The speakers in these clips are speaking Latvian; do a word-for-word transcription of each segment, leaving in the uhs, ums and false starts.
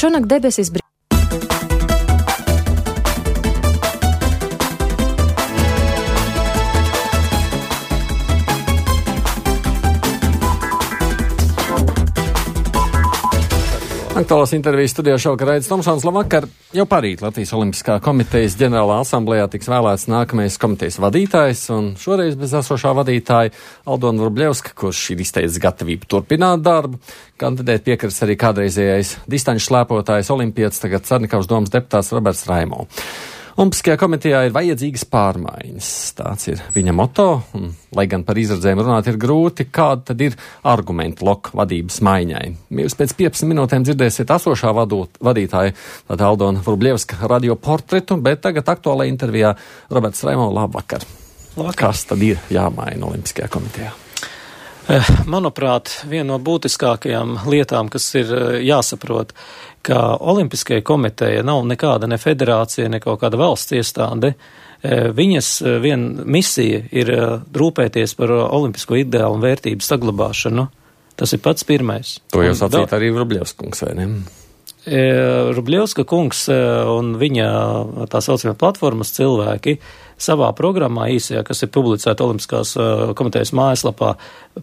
Šonakt debesis brīvs. Aktuālās intervijas studijā šovakar Raidis Tomsons. Labvakar! Jau parīt Latvijas Olimpiskā komitejas ģenerālā asamblējā tiks vēlēts nākamais komitejas vadītājs, un šoreiz bez esošā vadītāja Aldona Vrublevska, kurš ir izteicis gatavību turpināt darbu. Kandidēt piekris arī kādreizējais distanču slēpotājs olimpietis, tagad Sarnikavas domas deputāts Roberts Raimo. Olimpiskajā komitejā ir vajadzīgas pārmaiņas. Tāds ir viņa moto, un, lai gan par izredzēm runāt ir grūti, kāda tad ir argumenti loka vadības maiņai. Jūs pēc piecpadsmit minūtēm dzirdēsiet esošā vadot, vadītāja, tātad Aldona Vrublevska radio portretu, bet tagad aktuālajā intervijā Roberts Raimo, labvakar. Labvakar. Kas tad ir jāmaina Olimpiskajā komitejā? Manuprāt, viena no būtiskākajām lietām, kas ir jāsaprot, ka Olimpiskajai komiteja nav nekāda ne federācija, ne kaut kāda valsts iestāde. Viņas viena misija ir rūpēties par olimpisko ideālu un vērtību saglabāšanu. Tas ir pats pirmais. To jau sacīt arī Vrublevska kungs, vai ne? Vrublevska kungs un viņa tā saucamie platformas cilvēki savā programmā īsajā, kas ir publicēta Olimpiskās komitejas mājaslapā,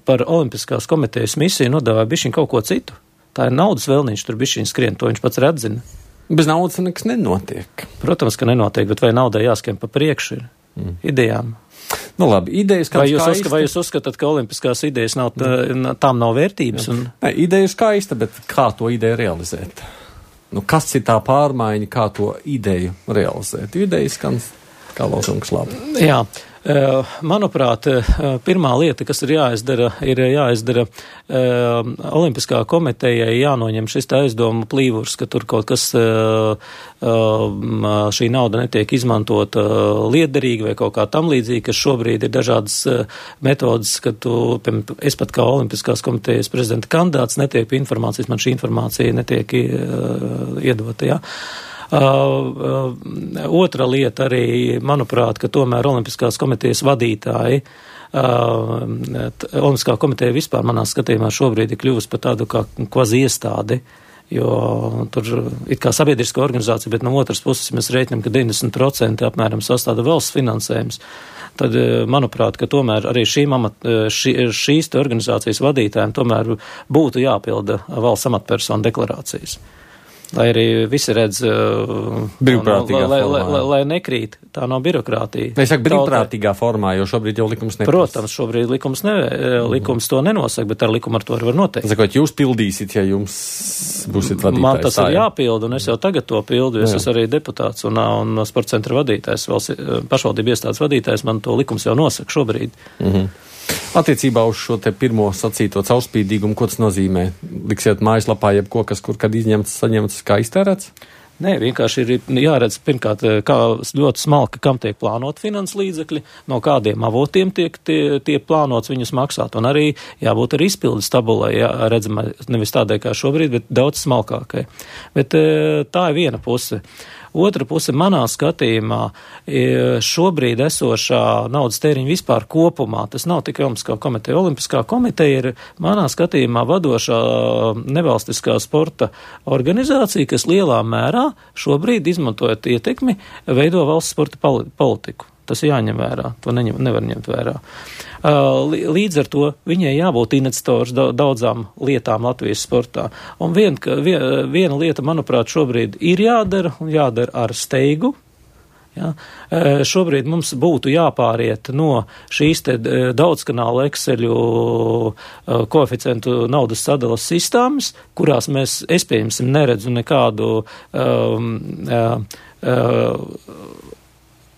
par Olimpiskās komitejas misiju nodāvāja bišķiņ kaut ko citu. Tā ir naudas vēlniņš, tur bišķiņ skrien, to viņš pats redzina. Bez naudas nekas nenotiek. Protams, ka nenotiek, bet vai naudai jāskiem pa priekšu ir mm. idejām? Nu labi, idejas kā vai jūs, skaista. uzska, vai jūs uzskatāt, ka olimpiskās idejas nav, tā, tām nav vērtības? Un... Ne, ideja ir skaista, bet kā to ideju realizēt? Nu, kas ir tā pārmaiņa, kā to ideju realizēt? Idejas skan kā lozungs labi. Jā, manuprāt, pirmā lieta, kas ir jāizdara, ir jāizdara Olimpiskā komitejai jānoņem šis aizdomu plīvurs, ka tur kaut kas šī nauda netiek izmantota liederīgi vai kaut kā tam līdzīgi, ka šobrīd ir dažādas metodas, ka tu, piemēram, es pat kā Olimpiskās komitejas prezidenta kandidāts netiek pie informācijas, man šī informācija netiek iedota, jā. Uh, uh, otra lieta arī, manuprāt, ka tomēr Olimpiskās komitejas vadītāji, uh, Olimpiskā komiteja vispār manā skatījumā šobrīd ir kļuvusi par tādu kā kvazi iestādi, jo tur ir kā sabiedriska organizācija, bet no otras puses mēs rēķinām, ka deviņdesmit procenti apmēram sastāda valsts finansējums. Tad, manuprāt, ka tomēr arī šīm amat, šī, šīs te organizācijas vadītājiem tomēr būtu jāpilda valsts amatpersonu deklarācijas. Lai arī visi redz, brīvprātīgā lai, formā. Lai, lai, lai nekrīt, tā nav birokrātija. Es saku brīvprātīgā formā, jo šobrīd jau likums neprasa. Protams, šobrīd likums, ne, likums to nenosaka, bet ar likumu ar to var noteikt. Sakot, jūs pildīsiet, ja jums būsiet vadītājs. Man tas ir jāpilda, un es jau tagad to pildu, es esmu arī deputāts un, un sporta centra vadītājs, valsts, pašvaldību iestādes vadītājs, man to likums jau nosaka šobrīd. Mhm. Attiecībā uz šo te pirmo sacīto caurspīdīgumu, ko tas nozīmē? Liksiet mājaslapā jebko, kas kur kad izņemts, saņemts, kā iztērēts? Nē, vienkārši ir jāredz, pirmkārt, kā ļoti smalki, kam tiek plānot finanses līdzekļi, no kādiem avotiem tiek, tie, tiek plānots viņus maksāt, un arī jābūt arī izpildes tabulai, jā, redzamai, nevis tādai kā šobrīd, bet daudz smalkākai. Bet tā ir viena puse. Otra puse manā skatījumā šobrīd esošā naudas tēriņa vispār kopumā, tas nav tikai Olimpiskā komiteja. Olimpiskā komiteja ir manā skatījumā vadošā nevalstiskā sporta organizācija, kas lielā mērā šobrīd izmantojot ietekmi veido valsts sporta politiku. Tas jāņem vērā, to neņem, nevar ņemt vērā. Līdz ar to viņai jābūt iniciators daudzām lietām Latvijas sportā. Un vien, vien, viena lieta, manuprāt, šobrīd ir jādara, un jādara ar steigu. Ja? Šobrīd mums būtu jāpāriet no šīs te daudzkanāla Exceļu koeficientu naudas sadalas sistēmas, kurās mēs, es pieņemsim, neredzu nekādu um, uh, uh,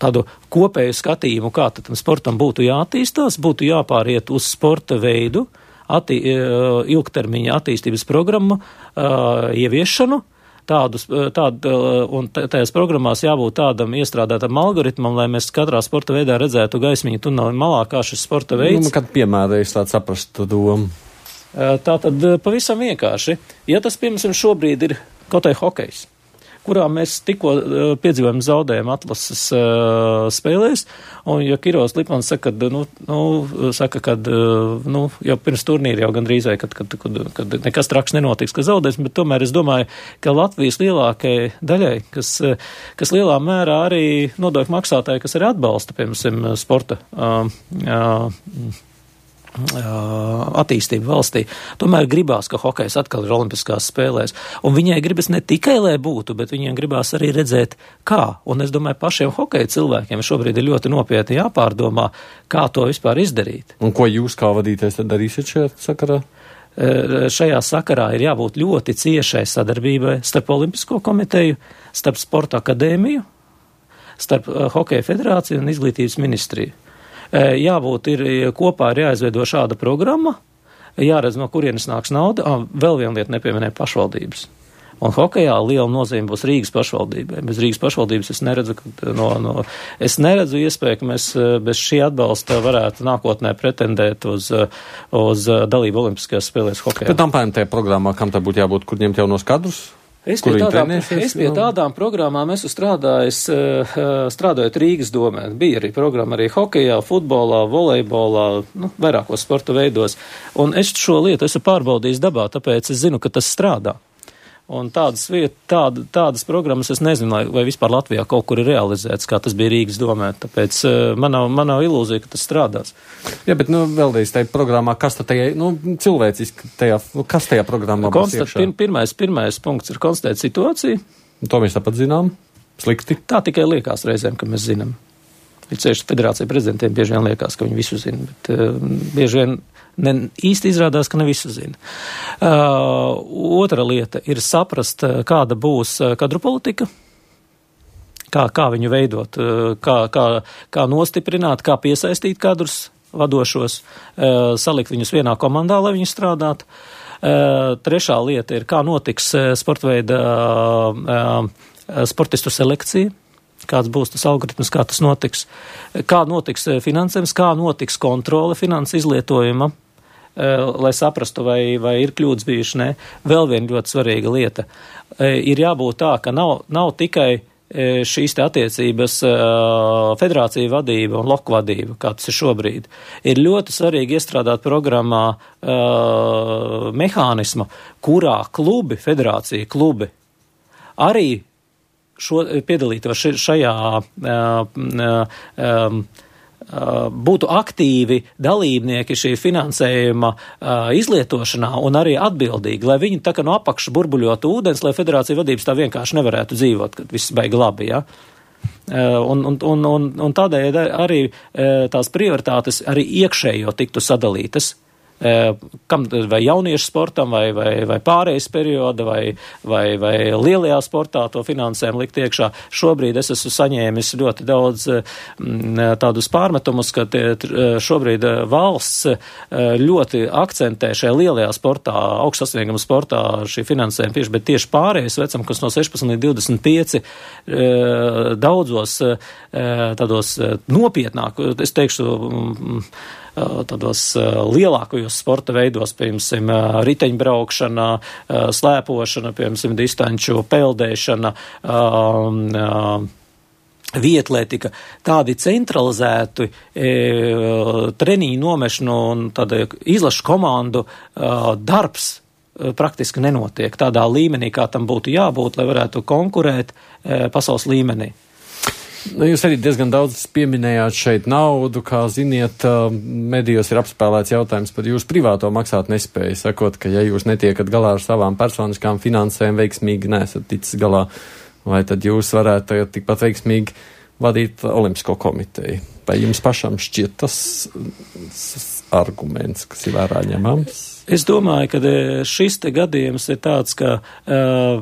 tādu kopēju skatījumu, kā tad sportam būtu jāattīstās, būtu jāpāriet uz sporta veidu, attī, ilgtermiņa attīstības programmu uh, ieviešanu, tādus, tādu, un tajās programmās jābūt tādam iestrādātam algoritmam, lai mēs katrā sporta veidā redzētu gaismiņu tuneli malā, kā šis sporta veids. Nu, kad piemērējas tādu saprastu domu? Tā tad pavisam vienkārši. Ja tas, piemēram, šobrīd ir kaut vai hokejs, kurā mēs tikko uh, piedzīvojam zaudējumu atlases uh, spēlēs, un ja Kiros Lipmans saka, ka, nu, nu, saka, kad, uh, nu, jau pirms turnīra jau gandrīz vai, kad, kad, kad, kad nekas traks nenotiks, ka zaudēs, bet tomēr es domāju, ka Latvijas lielākajai daļai, kas, kas lielā mērā arī nodokļu maksātāji, kas arī atbalsta, piemēram, sporta uh, uh, attīstību valstī. Tomēr gribās, ka hokejs atkal ir olimpiskās spēlēs. Un viņai gribas ne tikai, lai būtu, bet viņiem gribās arī redzēt, kā. Un es domāju, pašiem hokeja cilvēkiem šobrīd ir ļoti nopietni jāpārdomā, kā to vispār izdarīt. Un ko jūs kā vadītājs tad darīsiet šajā sakarā? Šajā sakarā ir jābūt ļoti ciešai sadarbībai starp Olimpisko komiteju, starp Sporta akadēmiju, starp Hokeja federāciju un izglītības ministriju. Jābūt ir kopā ir jāizveido šāda programma, jāredz, no kurienes nāks nauda, ah, vēl viena lieta nepieminēja pašvaldības. Un hokejā liela nozīme būs Rīgas pašvaldībai. Bez Rīgas pašvaldības es neredzu, no, no, es neredzu iespēju, ka mēs bez šī atbalsta varētu nākotnē pretendēt uz, uz dalību Olimpiskajās spēlēs hokejā. Bet tam pēc tajā programmā, kam tā būtu jābūt, kur ņemt jaunos kadrus? Es pie, tādām, es pie tādām programmām esmu strādājis, strādājot Rīgas domē. Bija arī programma arī hokejā, futbolā, volejbolā, nu, vairākos sporta veidos. Un es šo lietu esmu pārbaudījis dabā, tāpēc es zinu, ka tas strādā. Un tādas, viet, tāda, tādas programmas es nezinu, vai vispār Latvijā kaut kur ir realizēts, kā tas bija Rīgas domē. Tāpēc man nav, man nav ilūzija, ka tas strādās. Jā, bet, nu, vēlreiz tajā programmā, kas tad tajā, nu, cilvēciski tajā, kas tajā programmā būs iekšā? Pir, pirmais, pirmais punkts ir konstatēt situāciju. To mēs tāpat zinām. Slikti. Tā tikai liekas reizēm, ka mēs zinām. Ir ceļš federācija prezidentiem bieži vien liekas, ka viņi visu zina, bet uh, bieži vien ne, īsti izrādās, ka ne visu zina. Uh, otra lieta ir saprast, kāda būs kadru politika, kā, kā viņu veidot, kā, kā, kā nostiprināt, kā piesaistīt kadrus vadošos, uh, salikt viņus vienā komandā, lai viņi strādātu. Uh, trešā lieta ir, kā notiks sportveida uh, uh, sportistu selekcija. Kāds būs tas algoritms, kā tas notiks, kā notiks finansējums, kā notiks kontrole finanses izlietojuma, lai saprastu, vai, vai ir kļūdas bijuši, ne. Vēl viena ļoti svarīga lieta. Ir jābūt tā, ka nav, nav tikai šīs te attiecības federācija vadība un loku vadība, kā tas ir šobrīd. Ir ļoti svarīgi iestrādāt programmā mehānismu, kurā klubi, federācija klubi, arī Šo, piedalītos šajā uh, uh, uh, būtu aktīvi dalībnieki šī finansējuma uh, izlietošanā un arī atbildīgi, lai viņi tā kā no apakšas burbuļotu ūdens, lai federācija vadības tā vienkārši nevarētu dzīvot, kad viss beiga labi, ja? Uh, un, un, un, un, un tādēļ arī uh, tās prioritātes arī iekšējo tiktu sadalītas. Kam, vai jauniešu sportam, vai, vai, vai pārējais perioda, vai, vai, vai lielajā sportā to finansējumu likt iekšā. Šobrīd es esmu saņēmis ļoti daudz m, tādus pārmetumus, ka tie, šobrīd valsts ļoti akcentē šajā lielajā sportā, augstsasnieguma sportā šī finansējuma tieši, bet tieši pārējais vecam, kas no sešpadsmit līdz divdesmit pieci daudzos tādos nopietnāk, es teikšu, tādos lielākajos sporta veidos, piemēram, riteņbraukšana, slēpošana, piemēram, distanču peldēšana, vietlētika, tādi centralizēti e, treniņu nomešanu un tāda izlašu komandu e, darbs e, praktiski nenotiek tādā līmenī, kā tam būtu jābūt, lai varētu konkurēt e, pasaules līmenī. Nu, jūs arī diezgan daudz pieminējāt šeit naudu, kā ziniet, medijos ir apspēlēts jautājums par jūsu privāto maksāt nespēju, sakot, ka ja jūs netiekat galā ar savām personiskām finansēm veiksmīgi nesat ticis galā, vai tad jūs varētu tikpat veiksmīgi vadīt Olimpisko komiteju? Vai jums pašam šķiet tas arguments, kas ir vērā ņemams? Es domāju, ka šis te gadījums ir tāds, ka uh,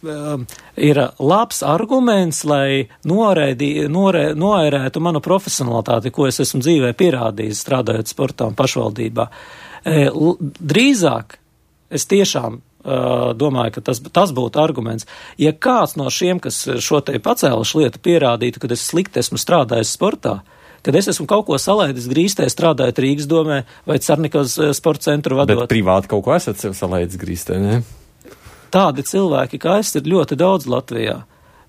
ir labs arguments, lai noraidī, norē, noērētu manu profesionalitāti, ko es esmu dzīvē pierādījis, strādājot sportā un pašvaldībā. Drīzāk es tiešām uh, domāju, ka tas, tas būtu arguments. Ja kāds no šiem, kas šo te pacēluši lietu, pierādītu, ka es slikti esmu strādājis sportā, kad es esmu kaut ko salaidis grīstē, strādājot Rīgas domē vai Cernikas sporta centru vadot. Bet privāti kaut ko esat sev salaidis grīstē, ne? tādi cilvēki kā es ir ļoti daudz Latvijā.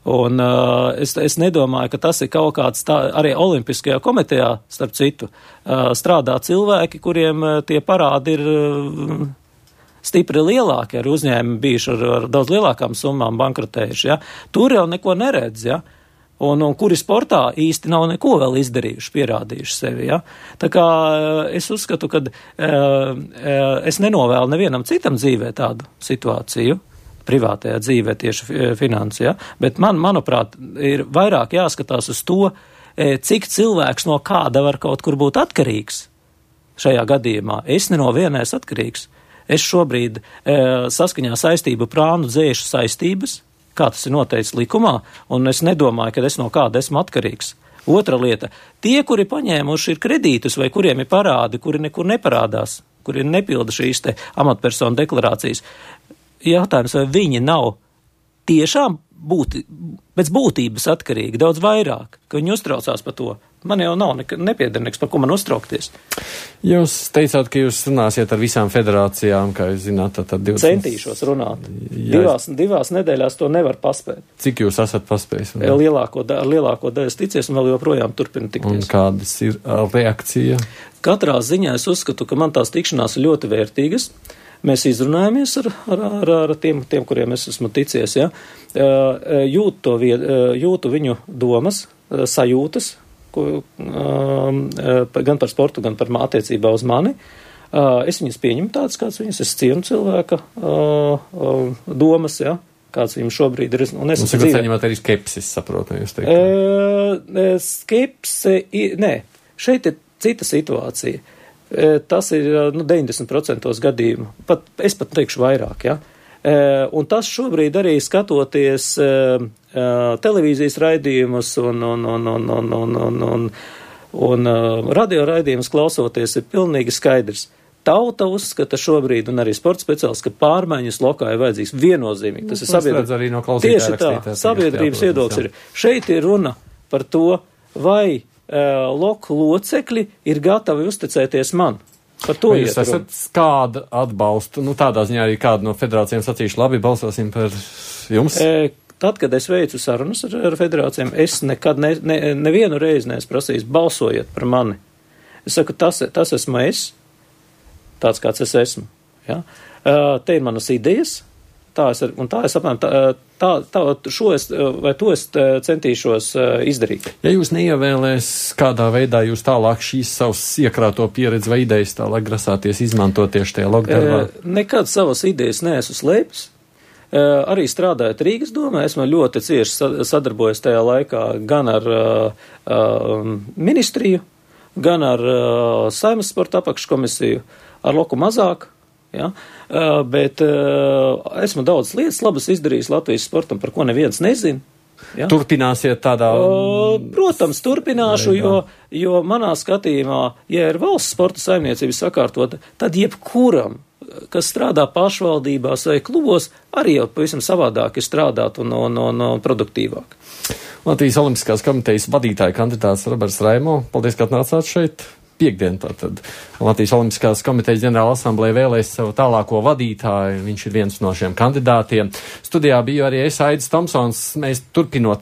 Un uh, es, es nedomāju, ka tas ir kaut kāds tā, arī Olimpiskajā komitejā, starp citu, uh, strādā cilvēki, kuriem uh, tie parādi ir uh, stipri lielāki, ar uzņēmumi bijuši ar, ar daudz lielākām summām bankrotējuši, ja. Tur jau neko neredz, ja. Un, un kuri sportā īsti nav neko vēl izdarījuši, pierādījuši sevi, ja. Tā kā uh, es uzskatu, ka uh, uh, es nenovēlu nevienam citam dzīvē tādu situāciju, privātajā dzīvē tieši finanses, ja? Bet man, manuprāt, ir vairāk jāskatās uz to, cik cilvēks no kāda var kaut kur būt atkarīgs šajā gadījumā. Es ne no viena esmu atkarīgs. Es šobrīd e, saskaņā saistību prānu dzēšu saistības, kā tas ir noteikts likumā, un es nedomāju, ka es no kāda esmu atkarīgs. Otra lieta, tie, kuri paņēmuši ir kredītus vai kuriem ir parādi, kuri nekur neparādās, kuri nepilda šīs te amatpersonu deklarācijas, jautājums, vai viņi nav tiešām būti, pēc būtības atkarīgi daudz vairāk, ka viņi uztraucās par to. Man jau nav nek- nepiedernieks, par ko man uztraukties. Jūs teicāt, ka jūs runāsiet ar visām federācijām, kā jūs zināt, tad divdesmit... Centīšos runāt. Jā, divās, divās nedēļās to nevar paspēt. Cik jūs esat paspējis? Lielāko, da, lielāko daļu ticies un vēl joprojām turpina tikties. Un kādas ir reakcija? Katrā ziņā es uzskatu, ka man tās tikšanās ir ļoti vērtīgas. Mēs izrunājamies ar, ar, ar, ar tiem, tiem, kuriem es esmu ticies, ja? Jūtu, to vied, jūtu viņu domas, sajūtas, ko, gan par sportu, gan par attiecībā uz mani. Es viņus pieņemu tādas, kāds viņas, es cienu cilvēka domas, ja? Kāds viņam šobrīd ir. Un es esmu saņemat arī skepsis, saprotu, jūs teikt. Skepse, nē, šeit ir cita situācija. Tas ir nu, deviņdesmit procenti gadījumu, pat, es pat teikšu vairāk, ja. Un tas šobrīd arī skatoties televīzijas raidījumus un, un, un, un, un, un, un, un, un radio raidījumus klausoties ir pilnīgi skaidrs. Tauta uzskata šobrīd, un arī sporta speciālists, ka pārmaiņas lokā ir vajadzīgs viennozīmīgi. Tas ir sabiedrības, no tieši tā, sabiedrības viedoklis ir. Šeit ir runa par to, vai loku locekļi ir gatavi uzticēties man. Par to jūs esat kādu atbalstu, nu tādā ziņā arī kādu no federācijām sacīšu, labi, balsosim par jums? E, tad, kad es veicu sarunas ar, ar federācijām, es nekad ne, ne, nevienu reizi neesmu prasījis balsojiet par mani. Es saku, tas, tas esmu es, tāds kāds es esmu. Ja? Te ir manas idejas, tā es, ar, un tā es apmēram, tā, tā, tā, šo es, vai to es centīšos izdarīt. Ja jūs neievēlēs, kādā veidā jūs tālāk šīs savas iekrāto pieredzi vai idejas tālāk grasāties izmantot tieši tajā lokdarbā? Nekad savas idejas neesmu slēpis. Arī strādājot Rīgas domē, esmu ļoti cieši sadarbojies tajā laikā gan ar uh, ministriju, gan ar uh, Saeimas sporta apakškomisiju, ar loku mazāk. Ja? Uh, bet uh, esmu daudz lietas labas izdarījis Latvijas sportam, par ko neviens nezina. Ja? Turpināsiet tādā? Uh, protams, turpināšu, jo, jo manā skatījumā, ja ir valsts sporta saimniecības sakārtota, tad jebkuram, kas strādā pašvaldībās vai klubos, arī jau pavisam savādāk ir strādāt un, un, un, un produktīvāk. Latvijas Olimpiskās komitejas vadītāja kandidāts Roberts Raimo, paldies, ka atnācāt šeit. Piekdien tātad Latvijas Olimpiskās komitejas ģenerāla asamblēja vēlēs savu tālāko vadītāju. Viņš ir viens no šiem kandidātiem. Studijā biju arī es, Aidis Tomsons. Mēs turpinot